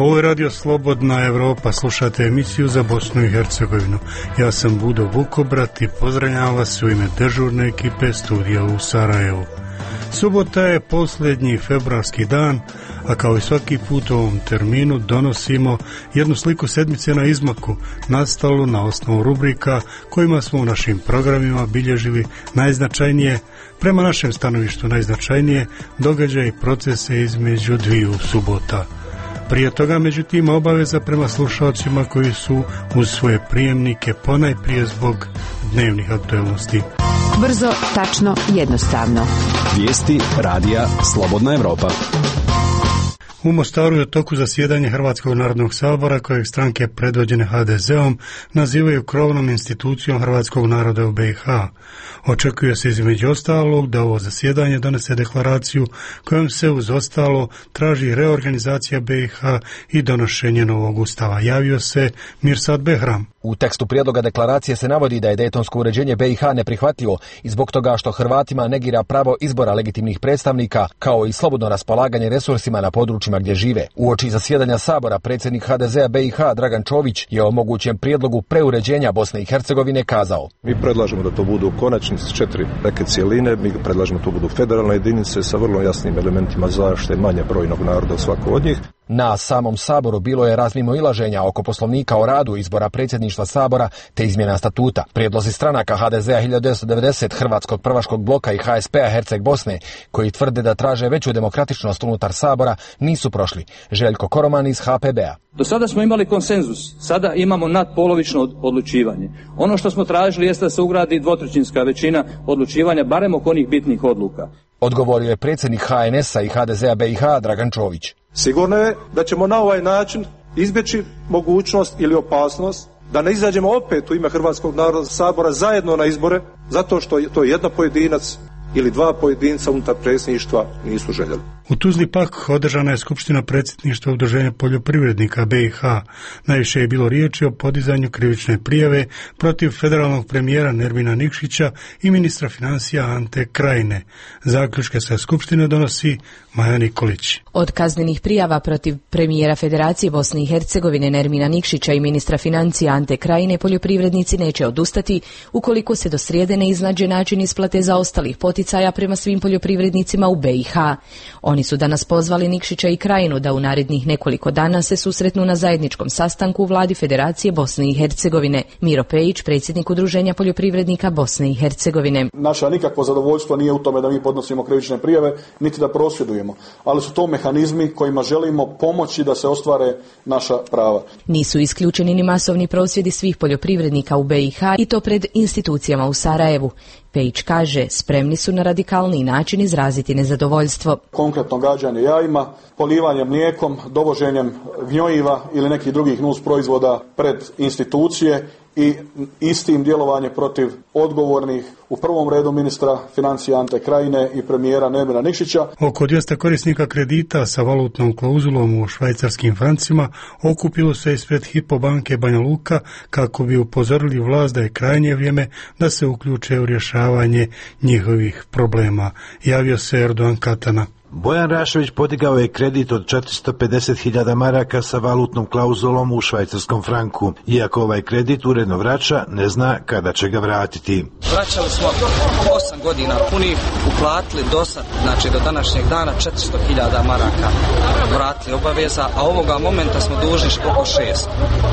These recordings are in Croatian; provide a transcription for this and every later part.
Ovo je Radio Slobodna Evropa, slušate emisiju za Bosnu i Hercegovinu. Ja sam Budo Vukobrat i pozdravljam vas u ime dežurne ekipe studija u Sarajevu. Subota je posljednji februarski dan, a kao i svaki put u ovom terminu donosimo jednu sliku sedmice na izmaku, nastalu na osnovu rubrika kojima smo u našim programima bilježili najznačajnije, prema našem stanovištu najznačajnije, događaje i procese između dviju subota. Prije toga, međutim, obaveza prema slušalcima koji su uz svoje prijemnike ponajprije zbog dnevnih aktualnosti. Brzo, tačno, jednostavno. Vijesti radija Slobodna Evropa. U Mostaru je u toku zasjedanje Hrvatskog narodnog sabora, kojeg stranke predvođene HDZ-om nazivaju krovnom institucijom hrvatskog naroda u BiH. Očekuje se između ostalog da ovo zasjedanje donese deklaraciju kojom se uz ostalo traži reorganizacija BiH i donošenje novog ustava. Javio se Mirsad Behram. U tekstu prijedloga deklaracije se navodi da je dejtonsko uređenje BiH neprihvatljivo i zbog toga što Hrvatima negira pravo izbora legitimnih predstavnika, kao i slobodno raspolaganje resursima na područjima gdje žive. Uoči zasjedanja Sabora predsjednik HDZ-a BiH Dragan Čović je o mogućem prijedlogu preuređenja Bosne i Hercegovine kazao: Mi predlažemo da to budu konačnice 4 neke cijeline, mi predlažemo da to budu federalne jedinice sa vrlo jasnim elementima zaštite manje brojnog naroda svako od njih. Na samom Saboru bilo je razmimoilaženja oko poslovnika o radu, izbora predsjedništva Sabora te izmjena statuta. Prijedlozi stranaka HDZ-a 1990, Hrvatskog prvaškog bloka i HSP-a Herceg Bosne, koji tvrde da traže veću demokratičnost unutar Sabora, nisu prošli. Željko Koroman iz HPB-a. Do sada smo imali konsenzus, sada imamo nadpolovično odlučivanje. Ono što smo tražili jeste da se ugradi dvotrećinska većina odlučivanja, barem oko onih bitnih odluka. Odgovorio je predsjednik HNS-a i HDZ-a BiH Dragan Čović. Sigurno je da ćemo na ovaj način izbjeći mogućnost ili opasnost da ne izađemo opet u ime Hrvatskog narodnog sabora zajedno na izbore, zato što to jedan pojedinac ili dva pojedinca unutar predsjedništva nisu željeli. U Tuzli pak održana je skupština predsjedništva Udruženja poljoprivrednika BiH. Najviše je bilo riječi o podizanju krivične prijave protiv federalnog premijera Nermina Nikšića i ministra financija Ante Krajine. Zaključke sa skupštine donosi Maja Nikolić. Od kaznenih prijava protiv premijera Federacije Bosne i Hercegovine Nermina Nikšića i ministra financija Ante Krajine poljoprivrednici neće odustati ukoliko se do srijede ne iznađe način isplate zaostalih poticaja prema svim poljoprivrednicima u BiH. Oni su danas pozvali Nikšića i Krajinu da u narednih nekoliko dana se susretnu na zajedničkom sastanku u vladi Federacije Bosne i Hercegovine. Miro Pejić, predsjednik Udruženja poljoprivrednika Bosne i Hercegovine. Naša nikakvo zadovoljstvo nije u tome da mi podnosimo krivične prijave, niti da prosvjedujemo, ali su to mehanizmi kojima želimo pomoći da se ostvare naša prava. Nisu isključeni ni masovni prosvjedi svih poljoprivrednika u BiH i to pred institucijama u Sarajevu. Pejić kaže, spremni su na radikalniji način izraziti nezadovoljstvo. Konkretno gađanje jajima, polivanje mlijekom, dovoženjem gnojiva ili nekih drugih nus proizvoda pred institucije i istim djelovanje protiv odgovornih, u prvom redu ministra financija Ante Krajine i premijera Nermina Nikšića. Oko 200 korisnika kredita sa valutnom klauzulom u švajcarskim francima okupilo se ispred Hypo banke Banja Luka kako bi upozorili vlast da je krajnje vrijeme da se uključe u rješavanje njihovih problema. Javio se Erdogan Katana. Bojan Rašević podigao je kredit od 450.000 maraka sa valutnom klauzulom u švajcarskom franku. Iako ovaj kredit uredno vraća, ne zna kada će ga vratiti. Vraćali smo 8 godina punih, uplatili do sad, znači do današnjeg dana 400.000 maraka vratili obaveza, a ovoga momenta smo dužni oko 6.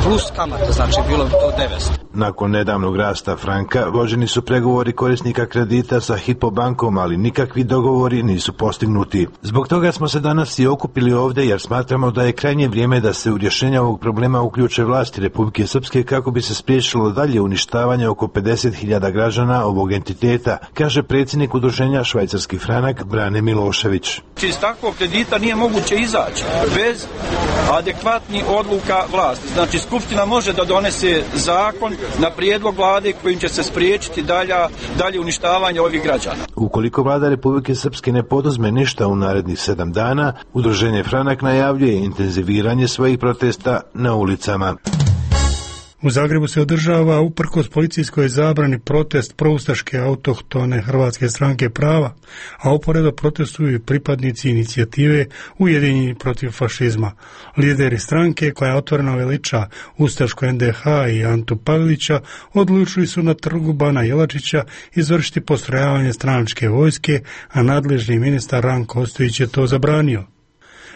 Plus kamate, znači bilo bi to 900. Nakon nedavnog rasta franka, vođeni su pregovori korisnika kredita sa Hypo bankom, ali nikakvi dogovori nisu postignuti. Zbog toga smo se danas i okupili ovdje jer smatramo da je krajnje vrijeme da se u rješenje ovog problema uključe vlasti Republike Srpske kako bi se spriječilo dalje uništavanje oko 50.000 građana ovog entiteta, kaže predsjednik udruženja Švajcarski franak Brane Milošević. Iz takvog kredita nije moguće izaći bez adekvatnih odluka vlasti. Znači, Skupština može da donese zakon na prijedlog vlade kojim će se spriječiti dalje uništavanje ovih građana. Ukoliko vlada Republike Srpske ne poduzme ništa u narednih 7 dana, udruženje Franak najavljuje intenziviranje svojih protesta na ulicama. U Zagrebu se održava uprkos policijskoj zabrani protest proustaške autohtone Hrvatske stranke prava, a uporedo protestuju i pripadnici inicijative Ujedinjeni protiv fašizma. Lideri stranke, koja otvoreno veliča ustašku NDH i Antu Pavelića, odlučili su na trgu Bana Jelačića izvršiti postrojavanje stranačke vojske, a nadležni ministar Ranko Ostojić je to zabranio.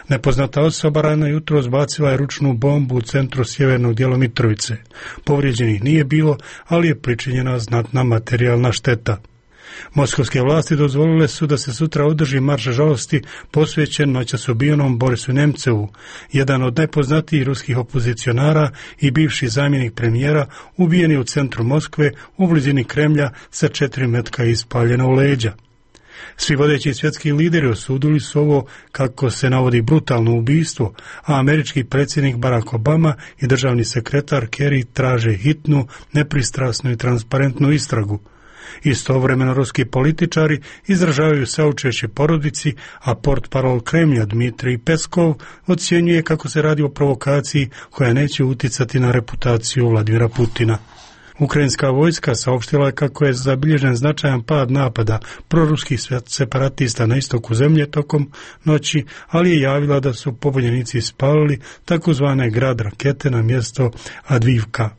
Nepoznata osoba rano jutro zbacila je ručnu bombu u centru sjevernog dijela Mitrovice. Povrijeđenih nije bilo, ali je pričinjena znatna materijalna šteta. Moskovske vlasti dozvolile su da se sutra održi marš žalosti posvećen noćas ubijenom Borisu Nemcevu, jedan od najpoznatijih ruskih opozicionara i bivši zamjenik premijera, ubijen je u centru Moskve u blizini Kremlja sa 4 metka ispaljena u leđa. Svi vodeći svjetski lideri osudili su ovo, kako se navodi, brutalno ubistvo, a američki predsjednik Barack Obama i državni sekretar Kerry traže hitnu, nepristrasnu i transparentnu istragu. Istovremeno ruski političari izražavaju saučešće porodici, a portparol Kremlja Dmitrij Peskov ocjenjuje kako se radi o provokaciji koja neće uticati na reputaciju Vladimira Putina. Ukrajinska vojska saopštila je kako je zabilježen značajan pad napada proruskih separatista na istoku zemlje tokom noći, ali je javila da su pobunjenici spalili takozvane grad rakete na mjesto Advivka.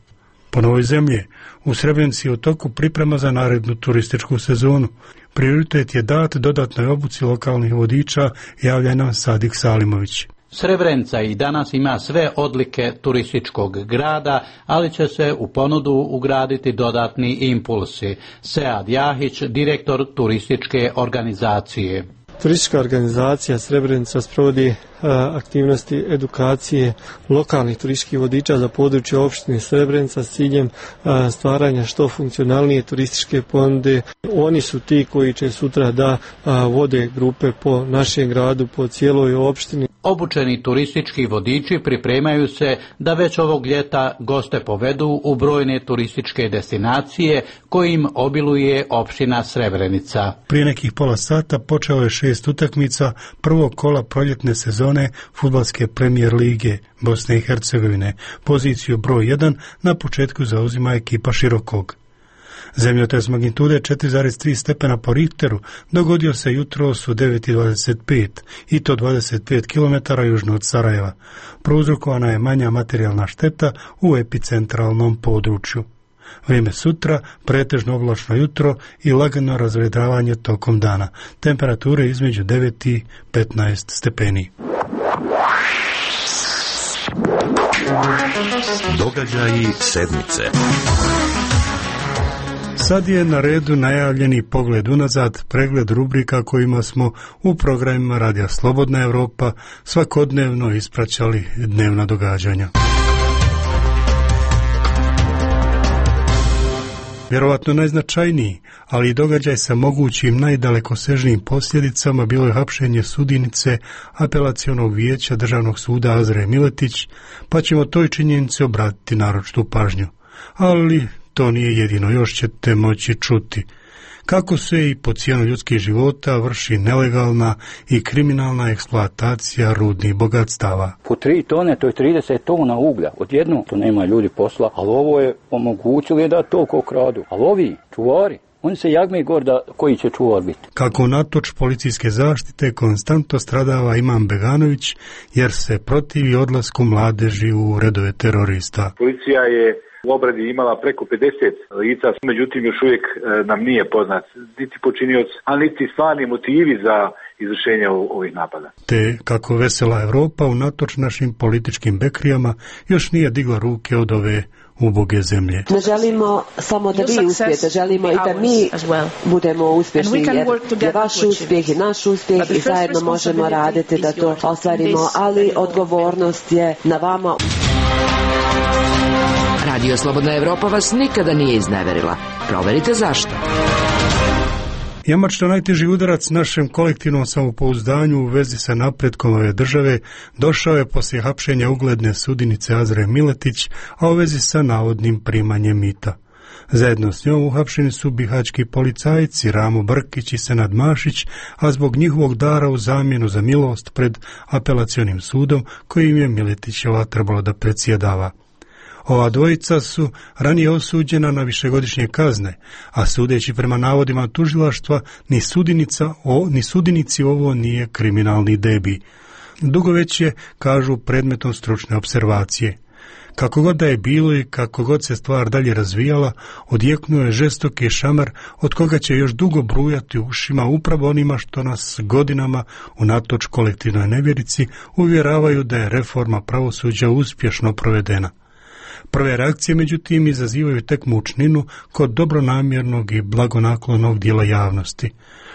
Po Novoj zemlji u Srebrenici u toku priprema za narednu turističku sezonu. Prioritet je dat dodatnoj obuci lokalnih vodiča, javlja nam Sadik Salimović. Srebrenica i danas ima sve odlike turističkog grada, ali će se u ponudu ugraditi dodatni impulsi. Sead Jahić, direktor turističke organizacije. Turistička organizacija Srebrenica sprovodi aktivnosti edukacije lokalnih turističkih vodiča za područje opštine Srebrenica s ciljem stvaranja što funkcionalnije turističke ponude. Oni su ti koji će sutra da vode grupe po našem gradu, po cijeloj opštini. Obučeni turistički vodiči pripremaju se da već ovog ljeta goste povedu u brojne turističke destinacije kojim obiluje opština Srebrenica. Prije nekih pola sata počelo je 6 utakmica prvog kola proljetne sezone fudbalske premijer lige Bosne i Hercegovine. Poziciju broj 1 na početku zauzima ekipa Širokog. Zemljotres magnitude 4,3 stepena po Richteru dogodio se jutros u 9:25 i to 25 km južno od Sarajeva. Prouzrokovana je manja materijalna šteta u epicentralnom području. Vrijeme sutra, pretežno oblačno jutro i lagano razvedravanje tokom dana. Temperature između 9 i 15 stepeni. Događaji sedmice. Sad je na redu najavljeni pogled unazad, pregled rubrika kojima smo u programima Radija Slobodna Evropa svakodnevno ispraćali dnevna događanja. Vjerovatno najznačajniji, ali i događaj sa mogućim najdalekosežnijim posljedicama bilo je hapšenje sudinice apelacionog vijeća Državnog suda Azre Miletić, pa ćemo toj činjenici obratiti naročitu pažnju. Ali to nije jedino, još ćete moći čuti kako se i po cijenu ljudskih života vrši nelegalna i kriminalna eksploatacija rudnih bogatstava. Po 3 tone, to je 30 tona uglja. Odjednom to nema ljudi posla, ali ovo je omogućili da toliko kradu. Ali ovi čuvari, oni se jagme gor da koji će čuvar biti. Kako unatoč policijske zaštite konstantno stradava Imam Beganović jer se protivi odlasku mladeži u redove terorista. Policija je u obradi imala preko 50 lica, međutim još uvijek nam nije poznat niti počinioc, a niti stvarni motivi za izvršenje ovih napada. Te kako vesela Evropa unatoč našim političkim bekrijama još nije digla ruke od ove uboge zemlje. Ne želimo samo da vi uspijete, želimo i da mi budemo uspješni, jer je vaš uspjeh i naš uspjeh i zajedno možemo raditi da to ostvarimo, ali odgovornost je na vama. Radio Slobodna Evropa vas nikada nije izneverila. Proverite zašto. Jamačno najteži udarac našem kolektivnom samopouzdanju u vezi sa napretkom ove države došao je poslije hapšenja ugledne sudinice Azre Miletić, a u vezi sa navodnim primanjem mita. Zajedno s njom uhapšeni su bihaćki policajci Ramo Brkić i Senad Mašić, a zbog njihovog dara u zamjenu za milost pred apelacionim sudom kojim je Miletićeva trebalo da predsjedava. Ova dvojica su ranije osuđena na višegodišnje kazne, a sudeći prema navodima tužilaštva, ni sudinici ovo nije kriminalni debi. Dugo već je, kažu, predmetom stručne observacije. Kako god da je bilo i kako god se stvar dalje razvijala, odjeknuo je žestoki šamar od koga će još dugo brujati ušima upravo onima što nas godinama, unatoč kolektivnoj nevjerici, uvjeravaju da je reforma pravosuđa uspješno provedena. Prve reakcije, međutim, izazivaju tek mučninu kod dobronamjernog i blagonaklonog dijela javnosti.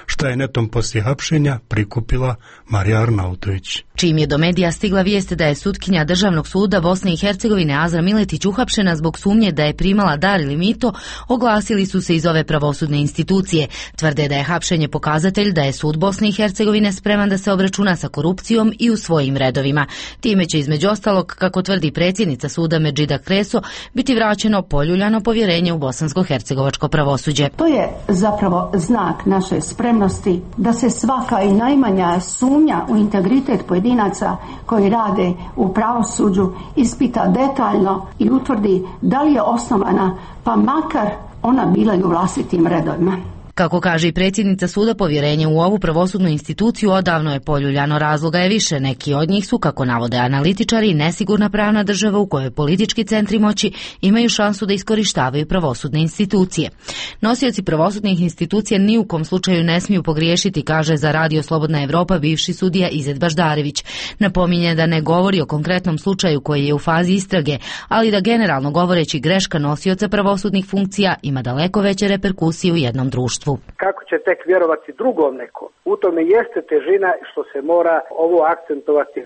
Šta je netom poslije hapšenja prikupila Marija Arnautović. Čim je do medija stigla vijest da je sutkinja Državnog suda Bosne i Hercegovine Azra Miletić uhapšena zbog sumnje da je primala dar ili mito, oglasili su se iz ove pravosudne institucije. Tvrde da je hapšenje pokazatelj da je sud Bosne i Hercegovine spreman da se obračuna sa korupcijom i u svojim redovima. Time će između ostalog, kako tvrdi predsjednica suda Medžida Kreso, biti vraćeno poljuljano povjerenje u bosansko-hercegovačko pravosuđe. To je zapravo znak naše spremnosti da se svaka i najmanja sumnja u integritet pojedinaca koji rade u pravosuđu ispita detaljno i utvrdi da li je osnovana, pa makar ona bila i u vlastitim redovima. Kako kaže i predsjednica suda, povjerenje u ovu pravosudnu instituciju odavno je poljuljano. Razloga je više. Neki od njih su, kako navode analitičari, nesigurna pravna država u kojoj politički centri moći imaju šansu da iskorištavaju pravosudne institucije. Nosioci pravosudnih institucija ni u kom slučaju ne smiju pogriješiti, kaže za Radio Slobodna Evropa bivši sudija Izet Baždarević. Napominje da ne govori o konkretnom slučaju koji je u fazi istrage, ali da generalno govoreći greška nosioca pravosudnih funkcija ima daleko veće reperkusije u jednom društvu. Kako će tek vjerovati drugom nekom? U tome jeste težina što se mora ovo akcentovati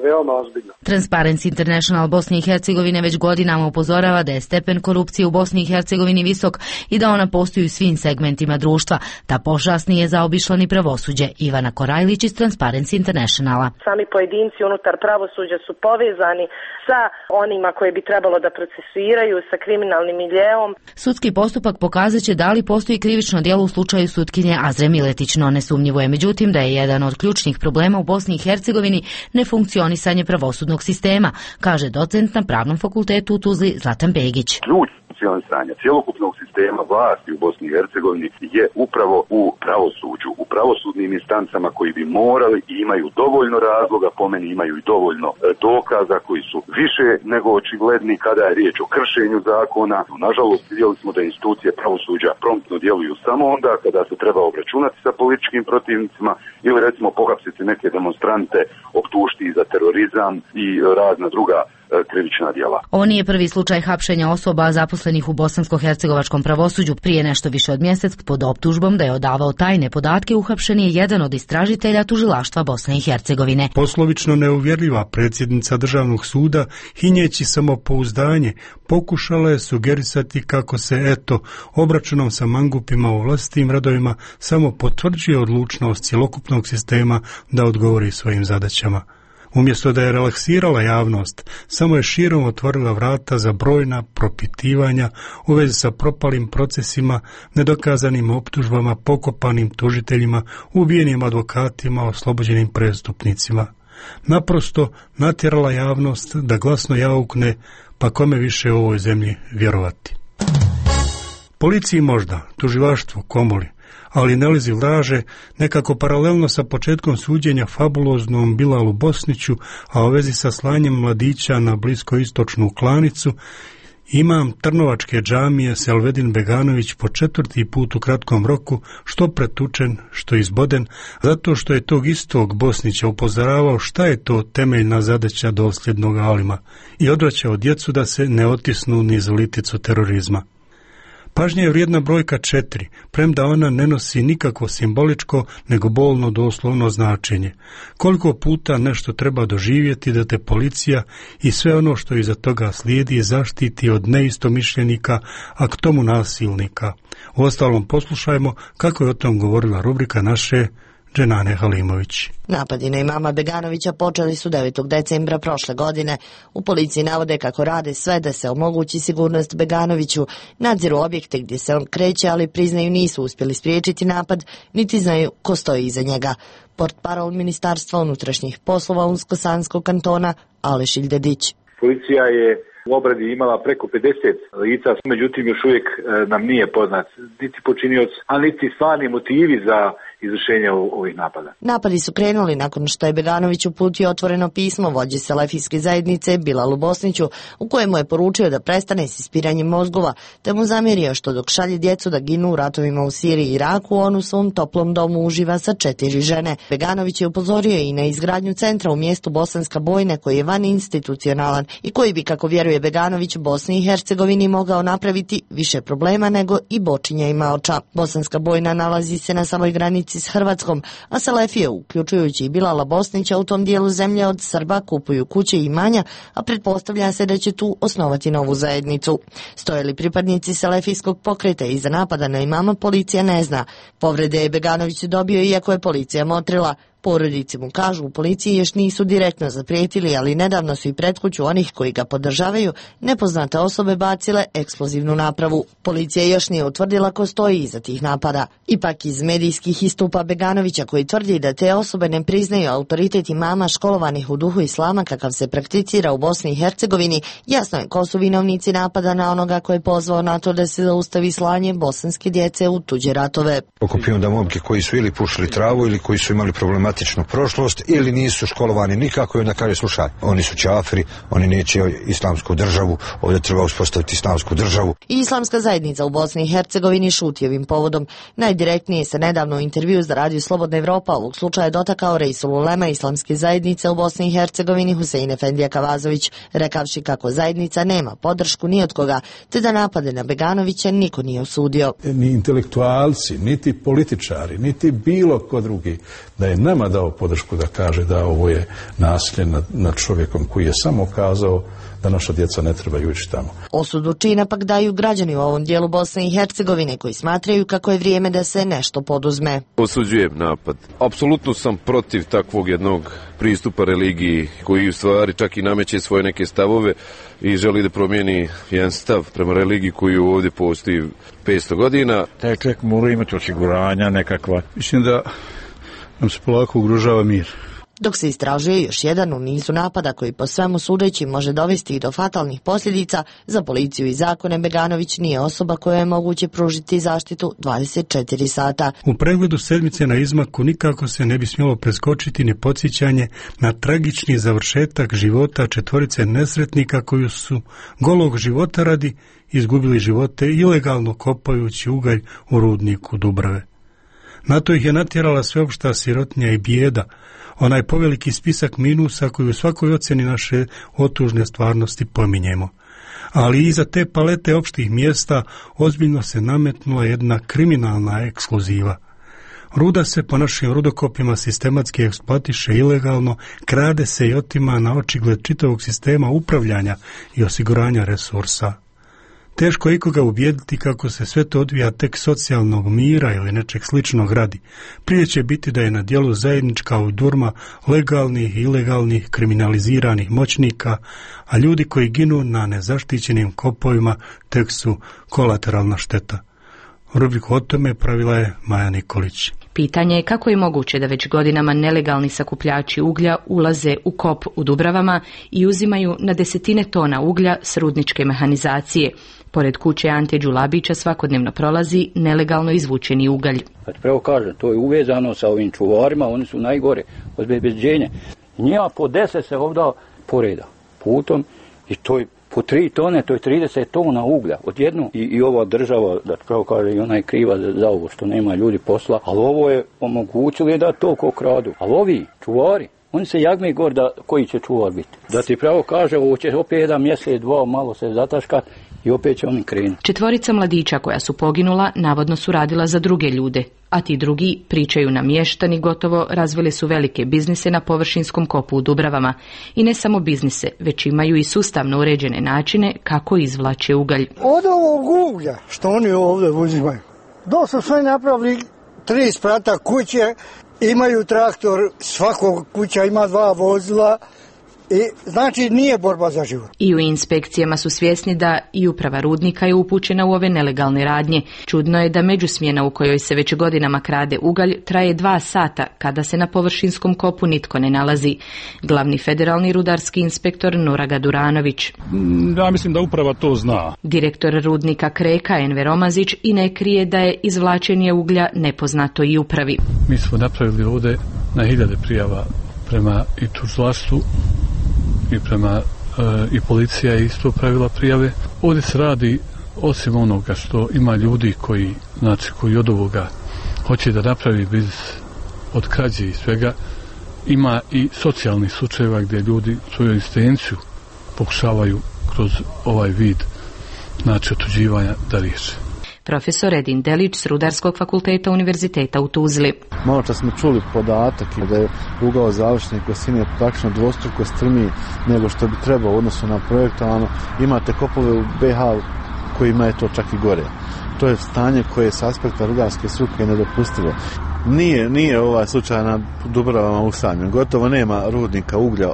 veoma ozbiljno. Transparency International Bosne i Hercegovine već godinama upozorava da je stepen korupcije u Bosni i Hercegovini visok i da ona postoji u svim segmentima društva. Ta pošast nije zaobišla ni pravosuđe. Ivana Korajlić iz Transparency Internationala. Sami pojedinci unutar pravosuđa su povezani sa onima koje bi trebalo da procesuiraju, sa kriminalnim miljeom. Sudski postupak pokazat će da li postoji krivično djelo u slučaju sutkinje Azre Miletić, no nesumnjivo je međutim da je jedan od ključnih problema u Bosni i Hercegovini nefunkcionisanje pravosudnog sistema, kaže docent na Pravnom fakultetu u Tuzli Zlatan Begić. Funkcionisanja cjelokupnog sistema vlasti u Bosni i Hercegovini je upravo u pravosuđu, u pravosudnim instancama koji bi morali i imaju dovoljno razloga, po meni imaju i dovoljno dokaza koji su više nego očigledni kada je riječ o kršenju zakona. Nažalost, vidjeli smo da institucije pravosuđa promptno djeluju samo onda kada se treba obračunati sa političkim protivnicima ili recimo pohapsiti neke demonstrante, optužiti za terorizam i razna druga krivična djela. Ovo nije prvi slučaj hapšenja osoba zaposlenih u bosansko-hercegovačkom pravosuđu. Prije nešto više od mjesec pod optužbom da je odavao tajne podatke uhapšen je jedan od istražitelja tužilaštva Bosne i Hercegovine. Poslovično neuvjerljiva predsjednica Državnog suda, hinjeći samopouzdanje, pokušala je sugerisati kako se, obračunom sa mangupima u vlastitim radovima samo potvrđuje odlučnost cjelokupnog sistema da odgovori svojim zadaćama. Umjesto da je relaksirala javnost, samo je širom otvorila vrata za brojna propitivanja u vezi sa propalim procesima, nedokazanim optužbama, pokopanim tužiteljima, ubijenim advokatima, oslobođenim prestupnicima. Naprosto natjerala javnost da glasno jaukne, pa kome više u ovoj zemlji vjerovati. Policiji možda, tužilaštvu, komori, ali Nelizi laže nekako paralelno sa početkom suđenja fabuloznom Bilalu Bosniću, a u vezi sa slanjem mladića na bliskoistočnu klanicu, imam Trnovačke džamije Selvedin Beganović po 4. put u kratkom roku, što pretučen, što izboden, zato što je tog istog Bosnića upozoravao šta je to temeljna zadaća dosljednog alima i odvraćao djecu da se ne otisnu niz liticu terorizma. Pažnja je vrijedna brojka 4, premda ona ne nosi nikakvo simboličko, nego bolno doslovno značenje. Koliko puta nešto treba doživjeti da te policija i sve ono što iza toga slijedi zaštiti od neistomišljenika, a k tomu nasilnika. Uostalom, poslušajmo kako je o tom govorila rubrika naše Dženane Halimović. Napadi na imama Beganovića počeli su 9. decembra prošle godine. U policiji navode kako rade sve da se omogući sigurnost Beganoviću, nadziru objekte gdje se on kreće, ali priznaju nisu uspjeli spriječiti napad, niti znaju ko stoji iza njega. Portparol Ministarstva unutrašnjih poslova Unsko-Sanskog kantona Aleš Ildedić. Policija je u obradi imala preko 50 lica, međutim još uvijek nam nije poznat niti počinioc, a niti stvarni motivi za izvršenje ovih napada. Napadi su krenuli nakon što je Beganović uputio otvoreno pismo vođi selefijske zajednice Bilalu Bosniću, u kojemu je poručio da prestane s ispiranjem mozgova, te mu zamjerio što dok šalje djecu da ginu u ratovima u Siriji i Iraku, on u svom toplom domu uživa sa 4 žene. Beganović je upozorio i na izgradnju centra u mjestu Bosanska Bojna koji je vaninstitucionalan i koji bi, kako vjeruje Beganović, Bosni i Hercegovini mogao napraviti više problema nego i Bočinja i Maoča. Bosanska Bojna nalazi se na samoj granici s Hrvatskom, a selefije, uključujući i Bilala Bosnića, u tom dijelu zemlje od Srba kupuju kuće i imanja, a pretpostavlja se da će tu osnovati novu zajednicu. Stoje li pripadnici selefijskog pokreta iza napada na imama, policija ne zna. Povrede je Beganović dobio iako je policija motrila. Porodici mu kažu u policiji još nisu direktno zaprijetili, ali nedavno su i pred kuću onih koji ga podržavaju nepoznate osobe bacile eksplozivnu napravu. Policija još nije utvrdila ko stoji iza tih napada. Ipak iz medijskih istupa Beganovića, koji tvrdi da te osobe ne priznaju autoritet imama školovanih u duhu islama kakav se prakticira u Bosni i Hercegovini, jasno je ko su vinovnici napada na onoga koji je pozvao na to da se zaustavi slanje bosanske djece u tuđe ratove. Okupio da momke koji su ili pušili travu ili koji su imali problematičnu prošlost ili nisu školovani nikako i onda kaže slušaj, oni su čafiri, oni neće islamsku državu, ovdje treba uspostaviti islamsku državu. I islamska zajednica u Bosni i Hercegovini šuti ovim povodom. Najdirektnije se nedavno u intervju za Radio Slobodna Evropa ovog slučaja dotakao Reisul Ulema islamske zajednice u Bosni i Hercegovini Husein Efendija Kavazović, rekavši kako zajednica nema podršku ni od koga, te da napade na Beganovića niko nije osudio. Ni intelektualci, niti političari, niti bilo ko drugi da je nama dao podršku da kaže da ovo je nasilje nad čovjekom koji je samo kazao da naša djeca ne trebaju ići tamo. Osudu čina pak daju građani u ovom dijelu Bosne i Hercegovine koji smatraju kako je vrijeme da se nešto poduzme. Osuđujem napad. Apsolutno sam protiv takvog jednog pristupa religiji koji u stvari čak i nameće svoje neke stavove i želi da promijeni jedan stav prema religiji koji ovdje postoji 500 godina. Taj čovjek mora imati osiguranja nekakva. Mislim da nam se polako ugrožava mir. Dok se istražuje još jedan u nizu napada koji po svemu sudeći može dovesti i do fatalnih posljedica, za policiju i zakone Beganović nije osoba koja je moguće pružiti zaštitu 24 sata. U pregledu sedmice na izmaku nikako se ne bi smjelo preskočiti ni podsjećanje na tragični završetak života 4 nesretnika koji su golog života radi izgubili živote ilegalno kopajući ugalj u rudniku Dubrave. Na to ih je natjerala sveopšta sirotnja i bijeda, onaj poveliki spisak minusa koji u svakoj ocjeni naše otužne stvarnosti pominjemo. Ali iza te palete opštih mjesta ozbiljno se nametnula jedna kriminalna ekskluziva. Ruda se po našim rudokopima sistematski eksploatiše ilegalno, krade se i otima na očigled čitavog sistema upravljanja i osiguranja resursa. Teško je ikoga ubijediti kako se sve to odvija tek socijalnog mira ili nečeg sličnog radi. Prije će biti da je na djelu zajednička udurma legalnih i ilegalnih kriminaliziranih moćnika, a ljudi koji ginu na nezaštićenim kopovima tek su kolateralna šteta. Rubriku o tome pravila je Maja Nikolić. Pitanje je kako je moguće da već godinama nelegalni sakupljači uglja ulaze u kop u Dubravama i uzimaju na desetine tona uglja s rudničke mehanizacije. Pored kuće Ante Đulabića svakodnevno prolazi nelegalno izvučeni ugalj. Pravo kažem, to je uvezano sa ovim čuvarima, oni su najgore od bezbeđenja. Njima po 10 se ovdje poreda putom i to je po 3 tone, to je 30 tona uglja odjednom. I ova država, da pravo kaže, i ona je kriva za ovo što nema ljudi posla, ali ovo je omogućili da toliko kradu. Ali ovi čuvari, oni se jagme gor da koji će čuvar biti. Da ti pravo kaže, ovo će opet jedan mjesec, dva, malo se zataška i opet će oni krenuti. 4 mladića koja su poginula navodno su radila za druge ljude, a ti drugi, pričaju nam mještani, gotovo razvili su velike biznise na površinskom kopu u Dubravama. I ne samo biznise, već imaju i sustavno uređene načine kako izvlače ugalj. Od ovog uglja što oni ovdje uzimaju, dok su sve napravili 3 sprata kuće, imaju traktor, svakog kuća ima 2 vozila I znači nije borba za život. I u inspekcijama su svjesni da i uprava rudnika je upućena u ove nelegalne radnje. Čudno je da međusmjena u kojoj se već godinama krade ugalj traje 2 sata kada se na površinskom kopu nitko ne nalazi. Glavni federalni rudarski inspektor Nuraga Duranović. Ja mislim da uprava to zna. Direktor rudnika Kreka Enver Omazić i ne krije da je izvlačenje uglja nepoznato i upravi. Mi smo napravili ovdje na 1000 prijava prema i tužilaštvu i prema i policija je isto pravila prijave. Ovdje se radi, osim onoga što ima ljudi koji od ovoga hoće da napravi biznis od krađe i svega, ima i socijalnih slučajeva gdje ljudi svoju egzistenciju pokušavaju kroz ovaj vid otuđivanja da riješe. Profesor Edin Delić s Rudarskog fakulteta Univerziteta u Tuzli. Malo čas smo čuli podatak da je ugao završne kosine praktično dvostruko strmiji nego što bi trebao u odnosu na projektovano. Imate kopove u BiH kojima je to čak i gore. To je stanje koje s aspekta rudarske struke nedopustivo. Nije ovaj slučaj na Dubravama usamljen. Gotovo nema rudnika uglja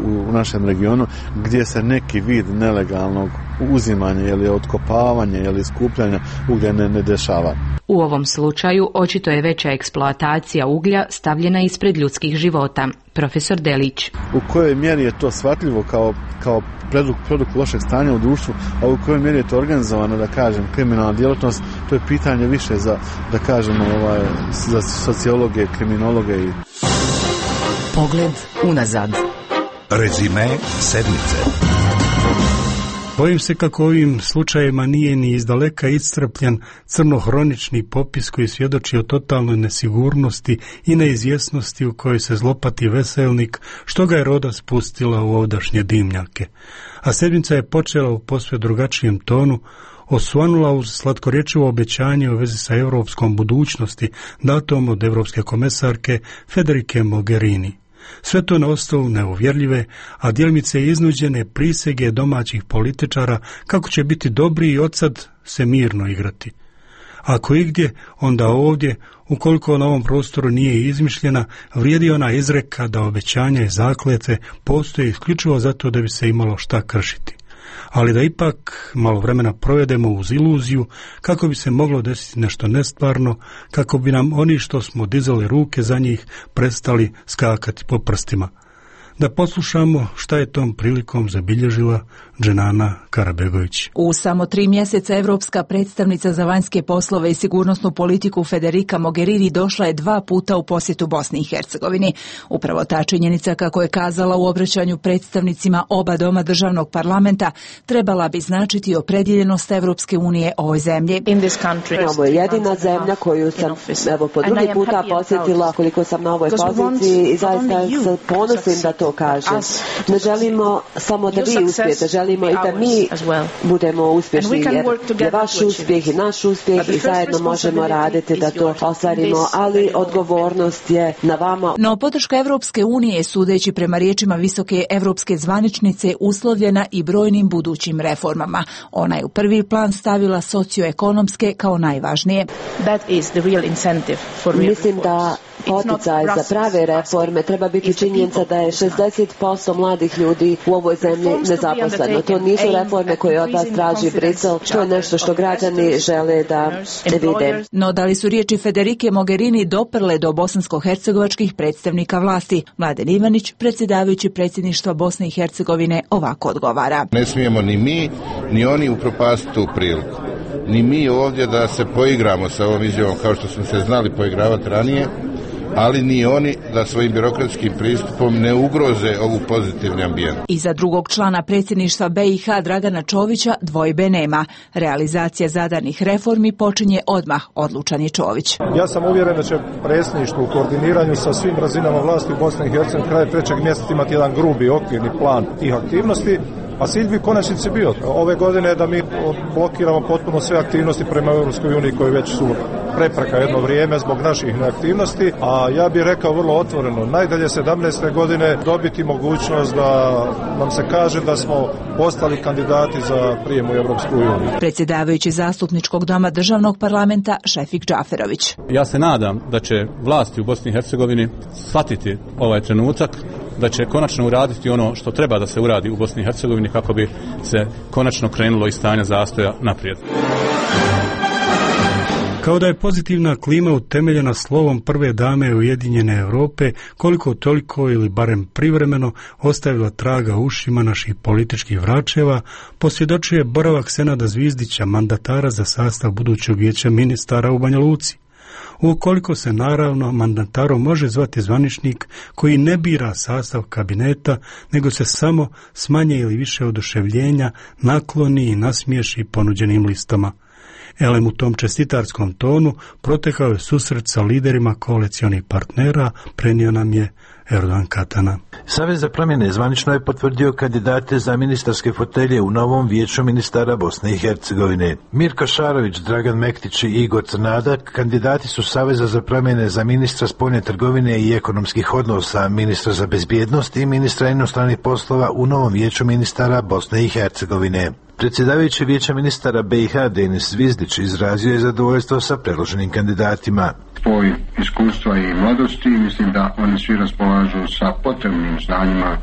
u našem regionu gdje se neki vid nelegalnog uzimanja ili otkopavanja ili skupljanja uglja ne dešava. U ovom slučaju očito je veća eksploatacija uglja stavljena ispred ljudskih života. Profesor Delić. U kojoj mjeri je to shvatljivo kao produkt lošeg stanja u društvu, a u kojoj mjeri je to organizovano, da kažem, kriminalna djelatnost, to je pitanje više za sociologe, kriminologe i... Pogled unazad. Rezime sedmice. Bojim se kako ovim slučajevima nije ni izdaleka iscrpljen crnohronični popis koji svjedoči o totalnoj nesigurnosti i neizvjesnosti u kojoj se zlopati veselnik, što ga je roda spustila u ovdašnje dimnjake. A sedmica je počela u posve drugačijem tonu, osvanula uz slatkorječivo obećanje u vezi sa europskom budućnosti datom od evropske komesarke Federike Mogherini. Sve to na osnovu neuvjerljive, a djelimice iznuđene prisege domaćih političara kako će biti dobri i odsad se mirno igrati. Ako igdje, onda ovdje, ukoliko na ovom prostoru nije izmišljena, vrijedi ona izreka da obećanja i zakletve postoje isključivo zato da bi se imalo šta kršiti. Ali da ipak malo vremena provedemo uz iluziju kako bi se moglo desiti nešto nestvarno, kako bi nam oni što smo dizali ruke za njih prestali skakati po prstima. Da poslušamo šta je tom prilikom zabilježila Dženana Karabegović. U samo 3 mjeseca evropska predstavnica za vanjske poslove i sigurnosnu politiku Federica Mogherini došla je 2 puta u posjetu Bosni i Hercegovini. Upravo ta činjenica, kako je kazala u obraćanju predstavnicima oba doma državnog parlamenta, trebala bi značiti opredjeljenost Evropske unije ovoj zemlji. Ovo je jedina zemlja koju sam po drugi puta posjetila koliko sam na ovoj poziciji i zaista se ponosim da to kažem. Ne želimo samo da vi uspijete, želimo i da mi budemo uspješni, jer je vaš uspjeh i naš uspjeh i zajedno možemo raditi da to ostvarimo, ali odgovornost je na vama. No podrška Evropske unije, sudeći prema riječima visoke evropske zvaničnice, uslovljena i brojnim budućim reformama. Ona je u prvi plan stavila socioekonomske kao najvažnije. Mislim da poticaj za prave reforme treba biti činjenica da je 60% mladih ljudi u ovoj zemlji nezaposleno. To nisu reforme koje od vas traži Brisel, to je nešto što građani žele da vide. No da li su riječi Federike Mogherini doprle do bosansko-hercegovačkih predstavnika vlasti? Mladen Ivanić, predsjedavajući predsjedništva Bosne i Hercegovine, ovako odgovara. Ne smijemo ni mi, ni oni upropastiti tu priliku. Ni mi ovdje da se poigramo sa ovom izjavom kao što smo se znali poigravati ranije, ali ni oni da svojim birokratskim pristupom ne ugroze ovu pozitivni ambijent. I za drugog člana predsjedništva BiH Dragana Čovića dvojbe nema. Realizacija zadanih reformi počinje odmah, odlučan je Čović. Ja sam uvjeren da će predsjedništvo u koordiniranju sa svim razinama vlasti u Bosni i Hercegovini kraj 3. mjeseca imati jedan grubi okvirni plan tih aktivnosti. A cilj bi konačnici bio ove godine da mi blokiramo potpuno sve aktivnosti prema Europskoj uniji koje već su prepreka jedno vrijeme zbog naših neaktivnosti, a ja bih rekao vrlo otvoreno, najdalje 17. godine dobiti mogućnost da nam se kaže da smo postali kandidati za prijem u Europsku uniju. Predsjedavajući zastupničkog doma državnog parlamenta Šefik Džaferović. Ja se nadam da će vlasti u Bosni i Hercegovini shvatiti ovaj trenutak da će konačno uraditi ono što treba da se uradi u Bosni i Hercegovini kako bi se konačno krenulo iz stanja zastoja naprijed. Kao da je pozitivna klima utemeljena slovom prve dame Ujedinjene Europe, koliko toliko ili barem privremeno ostavila traga u ušima naših političkih vračeva, posvjedočuje boravak Senada Zvizdića, mandatara za sastav budućeg vijeća ministara u Banja Luci. Ukoliko se naravno mandatarom može zvati zvaničnik koji ne bira sastav kabineta, nego se samo s manje ili više oduševljenja nakloni i nasmiješi ponuđenim listama. Elem u tom čestitarskom tonu protekao je susret sa liderima koalicionih partnera, prenio nam je Erdogan Katana. Savez za promjene zvanično je potvrdio kandidate za ministarske fotelje u novom vijeću ministara Bosne i Hercegovine. Mirko Šarović, Dragan Mektić i Igor Crnada kandidati su Saveza za promjene za ministra spoljne trgovine i ekonomskih odnosa, ministra za bezbjednost i ministra inostranih poslova u novom vijeću ministara Bosne i Hercegovine. Predsjedavajući vijeća ministara BiH Denis Zvizdić izrazio je zadovoljstvo sa predloženim kandidatima. Spoj iskustva i mladosti, mislim da oni svi raspolažu sa potrebnim znanjima,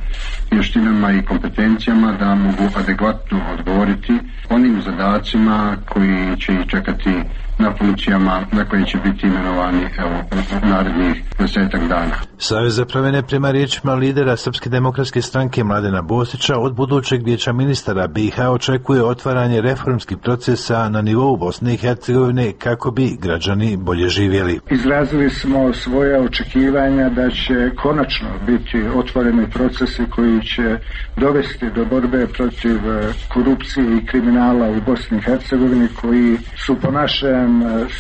vještinama i kompetencijama da mogu adekvatno odgovoriti onim zadacima koji će ih čekati na funkcijama na koje će biti imenovani u narednih 10 dana. Savez za promjene prema riječima lidera Srpske demokratske stranke Mladena Bosića od budućeg vijeća ministara BiH očekuje otvaranje reformskih procesa na nivou Bosne i Hercegovine kako bi građani bolje živjeli. Izrazili smo svoje očekivanja da će konačno biti otvoreni procesi koji će dovesti do borbe protiv korupcije i kriminala u Bosni i Hercegovini, koji su po našem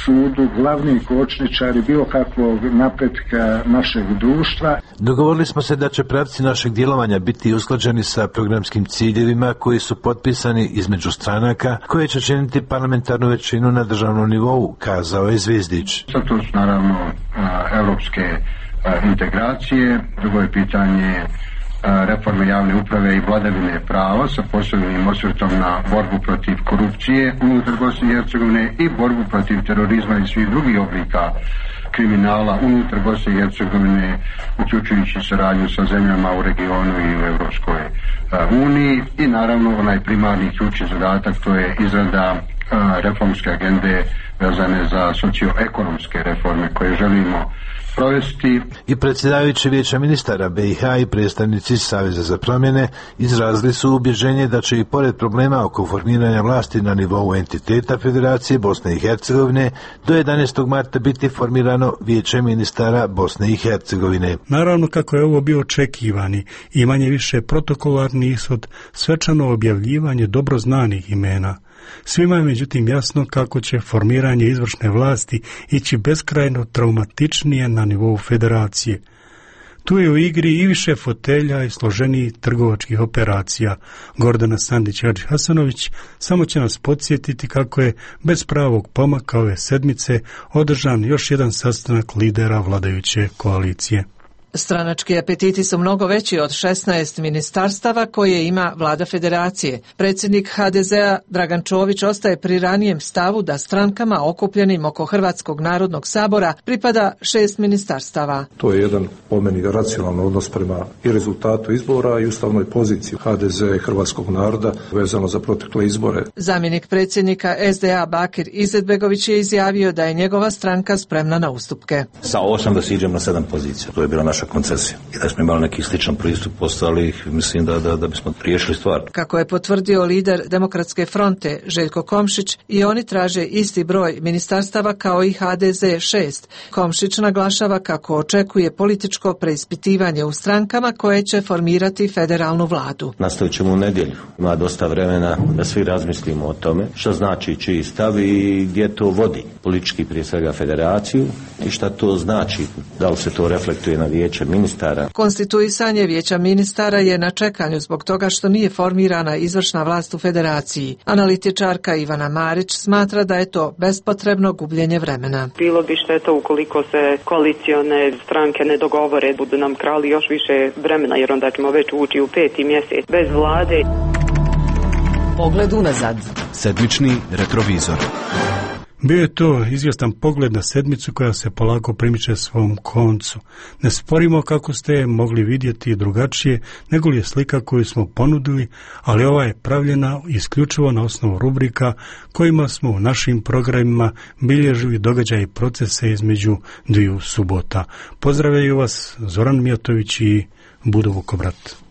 sudu glavni kočničari bilo kakvog napretka našeg društva. Dogovorili smo se da će pravci našeg djelovanja biti usklađeni sa programskim ciljevima koji su potpisani između stranaka koje će činiti parlamentarnu većinu na državnom nivou, kazao je Zvizdić. To su naravno europske integracije, drugo je pitanje reforme javne uprave i vladavine prava sa posebnim osvrtom na borbu protiv korupcije unutar Bosne i Hercegovine i borbu protiv terorizma i svih drugih oblika kriminala unutar Bosne i Hercegovine, uključujući saradnju sa zemljama u regionu i u Europskoj uniji i naravno onaj primarni ključni zadatak, to je izrada reformske agende vezane za socioekonomske reforme koje želimo provesti. I predsjedavajući vijeća ministara BiH i predstavnici Saveza za promjene izrazili su ubjeđenje da će i pored problema oko formiranja vlasti na nivou entiteta Federacije Bosne i Hercegovine do 11. marta biti formirano vijeće ministara Bosne i Hercegovine. Naravno, kako je ovo bio očekivani i manje više protokolarni ishod, svečano objavljivanje dobro znanih imena. Svima je međutim jasno kako će formiranje izvršne vlasti ići beskrajno traumatičnije na nivou federacije. Tu je u igri i više fotelja i složenijih trgovačkih operacija. Gordana Sandić-Hadži Hasanović samo će nas podsjetiti kako je bez pravog pomaka ove sedmice održan još jedan sastanak lidera vladajuće koalicije. Stranački apetiti su mnogo veći od 16 ministarstava koje ima vlada federacije. Predsjednik HDZ-a Dragan Čović ostaje pri ranijem stavu da strankama okupljenim oko Hrvatskog narodnog sabora pripada 6 ministarstava. To je jedan po meni racionalan odnos prema i rezultatu izbora i ustavnoj poziciji HDZ i hrvatskog naroda vezano za protekle izbore. Zamjenik predsjednika SDA Bakir Izetbegović je izjavio da je njegova stranka spremna na ustupke. Sa 8 da siđem na 7 pozicija. To je bila naša koncesija. I da smo imali neki sličan pristup postali, mislim da bismo riješili stvar. Kako je potvrdio lider Demokratske fronte Željko Komšić, i oni traže isti broj ministarstava kao i HDZ 6. Komšić naglašava kako očekuje političko preispitivanje u strankama koje će formirati federalnu vladu. Nastavit ćemo u nedjelju. Ima dosta vremena da svi razmislimo o tome što znači čiji stav i gdje to vodi. Politički prije svega federaciju i šta to znači. Da li se to reflektuje na vijeće ministara. Konstituisanje vijeća ministara je na čekanju zbog toga što nije formirana izvršna vlast u federaciji. Analitičarka Ivana Marić smatra da je to bespotrebno gubljenje vremena. Bilo bi šteta ukoliko se koalicione stranke ne dogovore, budu nam krali još više vremena, jer onda ćemo već ući u 5. mjesec bez vlade. Pogled unazad. Sedmični retrovizor. Bio je to izvjestan pogled na sedmicu koja se polako primiče svom koncu. Ne sporimo kako ste je mogli vidjeti drugačije nego li je slika koju smo ponudili, ali ova je pravljena isključivo na osnovu rubrika kojima smo u našim programima bilježili događaje i procese između dviju subota. Pozdravljaju vas Zoran Mijatović i Budo Vukobrat.